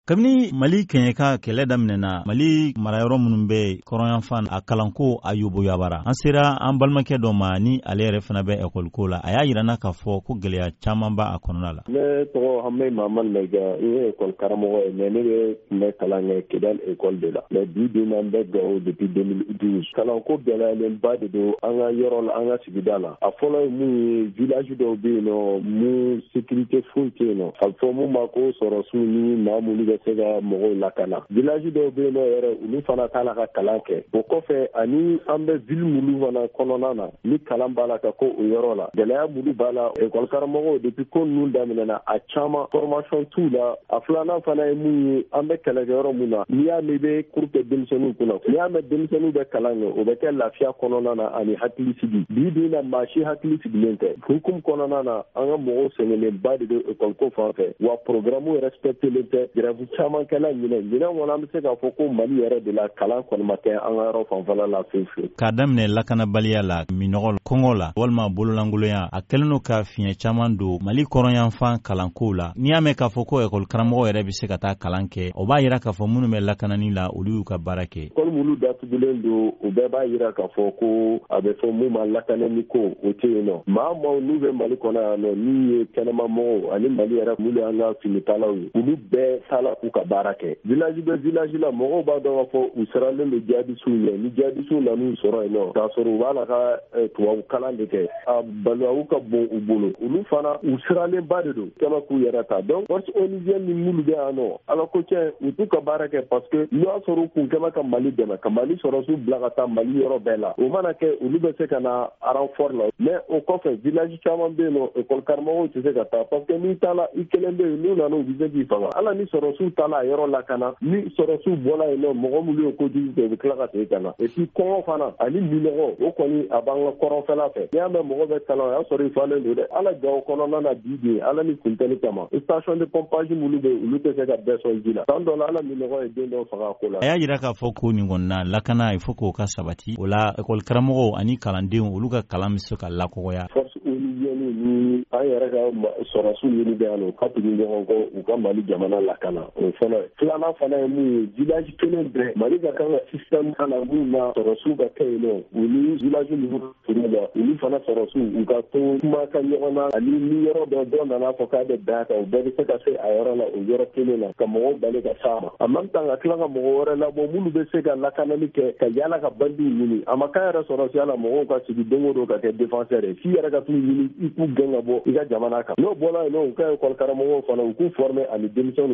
Kabini Mali kɛɲɛka kɛlɛ daminɛna, Mali marayɔrɔ minnu bɛ kɔrɔnyanfan, a kalanko a yoboyabara. An sera an balimakɛ dɔ ma ni ale yɛrɛ fana bɛ ekɔliko la. A y'a yira n na k'a fɔ ko gɛlɛya caman b'a kɔnɔna la. Ne tɔgɔ Hamɛ Mamadu Mayiga, n ye ekɔli karamɔgɔ ye, mais ne bɛ tun bɛ kalan kɛ Kidal ekɔli de la, mais bi bi in na n bɛ Gawo depuis 2012. Kalanko gɛlɛyalenba de don an ka yɔrɔ la, an ka sigida la. A fɔlɔ ye mun ye, village dɔw bɛ yen nɔ mun sécurité foyi tɛ yen nɔ, a bɛ fɔ mun ma ko sɔrɔsiw ni maa minnu bɛ se ka mɔgɔw lakana. Village dɔw bɛ yen nɔ yɛrɛ, olu fana t'a la ka kalan kɛ. O kɔfɛ, ani an bɛ ville minnu fana kɔnɔna na, ni kalan b'a la ka ko o yɔrɔ la, gɛlɛya minnu b'a la, ekɔli karamɔgɔw, depuis ko ninnu daminɛna, a caman formation t'u la. A filanan fana ye mun ye, an bɛ kɛlɛkɛyɔrɔ mun na, n'i y'a mɛn i bɛ cours kɛ denmisɛnninw kunna, n'i y'a mɛn denmisɛnninw bɛ kalan kɛ, o bɛ kɛ lafiya kɔnɔna na ani hakili sigi. Bi bi in na, maa si hakili sigilen tɛ. Hukumu kɔnɔna na, an ka mɔgɔw sɛgɛnnenba de don ekɔliko fan fɛ, wa programme respectelen tɛ. Grève caman kɛla ɲinɛ ɲinɛ kɔnɔ. An bɛ se k'a fɔ ko Mali yɛrɛ de la, kalan kɔni ma kɛ an ka yɔrɔ fanfɛla la fewu fewu. K'a daminɛ lakanabaliya la, minɔgɔ, kɔngɔ la, walima bololankolonya, a kɛlen don ka fiɲɛ caman don Mali kɔrɔnyanfan kalankow la. N'i y'a mɛn k'a fɔ ko ekɔli karamɔgɔ yɛrɛ bɛ se ka taa kalan kɛ, o b'a yira k'a fɔ minnu bɛ lakanani la, olu y'u ka baara kɛ. Ekɔli minnu datugulen don, o bɛɛ b'a yira k'a fɔ ko a bɛ fɔ mun ma lakanani ko, o tɛ yen nɔ. Maa maaw n'u bɛ Mali kɔnɔ yan nɔ, n'u ye kɛnɛma mɔgɔw ani Mali yɛrɛ minnu y'an ka finitalaw ye, olu bɛɛ taala k'u ka baara kɛ. Village bɛ village la, mɔgɔw b'a dɔn k'a fɔ u siralen don jihadisiw ɲɛ. Ni jihadisiw nan'u sɔrɔ yen nɔ, k'a sɔrɔ u b'a la ka tubabu kalan de kɛ, a balawu ka bon u bolo. Olu fana, u siralenba de don kɛmɛ k'u yɛrɛ ta. Donc force onusienne ni minnu bɛ yan nɔ, Ala ko tiɲɛ, u t'u ka baara kɛ, parce que n'u y'a sɔrɔ u kun kɛmɛ ka Mali dɛmɛ, ka Mali sɔrɔsiw bila ka taa Mali yɔrɔ bɛɛ la, o mana kɛ, olu bɛ se ka na renfort la. Mais o kɔfɛ, village caman bɛ yen nɔ, école karamɔgɔw tɛ se ka taa, parce que n'i taala i kelen bɛ yen, n'u nana, u bɛ se k'i faga. Ala ni sɔrɔsiw taala a yɔrɔ lakana, ni sɔrɔsiw bɔla yen nɔ, mɔgɔ minnu ye kojugu kɛ, u bɛ tila ka segin ka na. Et puis kɔngɔ fana ani minɔgɔ, o kɔni a b'an ka kɔrɔnfɛla fɛ. N'i y'a mɛn mɔgɔ bɛ kalan, o y'a sɔrɔ i falen don dɛ. Ala Gawo kɔnɔna na bi bi, Ala ni funteni kama, station de pompage minnu bɛ yen, olu tɛ se ka bɛɛ sɔn ji la. San dɔ la, ala minɔgɔ ye den dɔw faga a ko la. A y'a yira k'a fɔ ko nin kɔni na, lakana, il faut k'o ka sabati. O la, ekɔli karamɔgɔw ani kalandenw, olu ka kalan bɛ se ka lakɔgɔya. Force onusienne ni an yɛrɛ ka sɔrɔsiw minnu bɛ yan nɔ, u ka tugu ɲɔgɔn kɔ, u ka Mali jamana lakana, o ye fɔlɔ ye. Filanan fana ye mun ye, village kelen bɛɛ, Mali ka kan ka système na mun na sɔrɔsiw ka kɛ yen nɔ, u ni village ninnu furu la, olu fana sɔrɔsiw, u ka to kuma ka ɲɔgɔn na, ani ni yɔrɔ dɔ dɔ nana fɔ k'a bɛ bɛn a kan, u bɛɛ bɛ se ka se a yɔrɔ la o yɔrɔ kelen na, ka mɔgɔw bali ka s'a ma. En même temps, ka tila ka mɔgɔ wɛrɛ labɔ minnu bɛ se ka lakanali kɛ, ka yala ka bandiw ɲini. A ma k'a yɛrɛ sɔrɔsiya la, mɔgɔw ka sigi don o don ka kɛ défenseur ye, f'i yɛrɛ ka t'u ɲini, i k'u gɛn ka bɔ i ka jamana kan. N'o bɔra yen nɔ, u ka école karamɔgɔw fana, u k'u former ani denmisɛnninw.